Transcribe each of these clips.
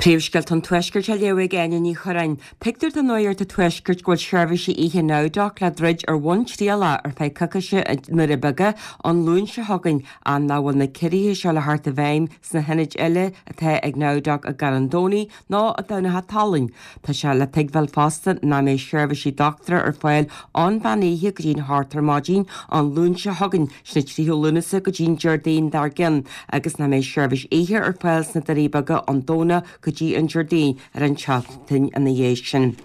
Príomhscéalta an Tuaiscirt á léamh ag Áine Ní Churráin. Tuigtear do Nuacht an Tuaiscirt go bhfuil seirbhísí oíche Nowdoc le druid ar bhonn trialach ar feadh coicíse i nDoirí Beaga an Luan seo chugainn ach nach bhfuil na ciorruithe seo le theacht i bhfeidhm sna hionaid eile atá ag Nowdoc i gCarn Domhnaigh ná i dTamhnach an tSalainn. Tá sé le tuigbheáil fosta nach mbeidh seirbhísí dochtúra ar fáil ón mheán oíche go dtí'n hocht ar maidin an Luan seo chugainn, sin an 3ú Lúnasa go dtí'n Déardaoin dár gcionn, agus nach mbeidh seirbhís oíche ar fáil sna Doirí Beaga ón Domhnach go dtí an Déardaoin ar an tseachtain ina dhiaidh sin.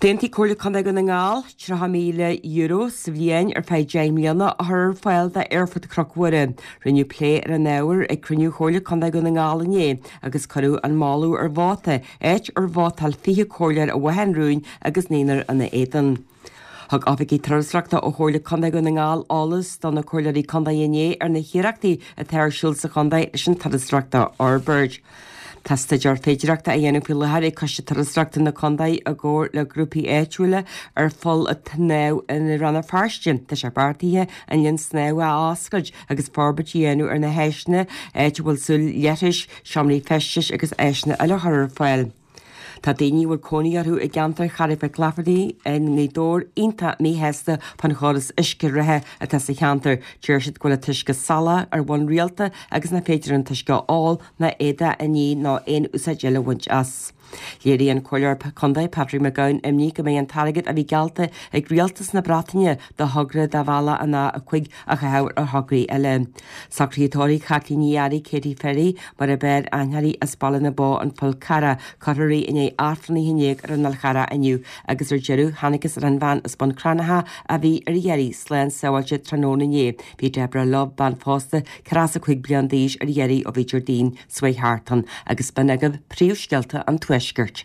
D'aontaigh Comhairle Contae Dhún na nGall €30,000 sa bhliain ar feadh 10 mbliana a chur ar fáil d'Aerfort Chnoc Mhuire. Rinneadh plé ar an ábhar ag cruinniú Chomhairle Contae Dhún na nGall inné agus cuireadh an moladh ar vóta, áit ar vótáil 20 comhairleoir i bhfáth an rúin agus naonúr ina éadan. Thug oifigigh turasóireachta ó Chomhairle Contae Dhún na nGall eolas do na comhairleoirí contae inné ar na hiarrachtaí atá ar siúl sa chontae leis an turasóireacht a fhorbairt. Tá staidéar féidireachta á dhéanamh faoi láthair ag Coiste Turasóireachta na Contae i gcomhar le grúpaí áitiúla ar pholl an tsnámha i Rann na Feirste. Tá sé beartaithe an linn snámha a oscailt agus forbairt a dhéanamh ar na háiseanna, áit a bhfuil súil leithris, seomraí feistis agus áiseanna eile a chur ar fáil. Tá daoine a bhfuil cónaí orthu i gceantar Charraig Mhic Laifeartaigh i nGaoth Dobhair iontach míshásta fán chóras uisce reatha atá sa cheantar. Deir siad go bhfuil an t-uisce salach ar bhonn rialta agus nach féidir an t-uisce a ól ná éadaí a ní ná aon úsáid eile a bhaint as. Léirigh an Comhairleoir Contae Patrick McGowan imní go mbeidh an t-airgead a bhí geallta ag Rialtas na Breataine do thogra do bhealach an A5 á chaitheamh ar thograí eile. Socruithe tórraimh Chaitlín Ní Fhearraigh, Katie Ferry, mar ab fhearr aithne uirthi as Baile na Bó, An Fál Carrach, cuirfear í i ndiaidh Aifreann 11 ar an Fhál Charrach inniu agus ar deireadh thángthas ar an bhean as Bun Cranncha a bhí ar iarraidh slán sábháilte tráthnóna inné. Bhí Deborah Love, bean phósta, 45 bliain d'aois ar iarraidh ó bhí Déardaoin s'chuaigh thart ann agus b'in agaibh príomhscéalta an Tuaiscirt.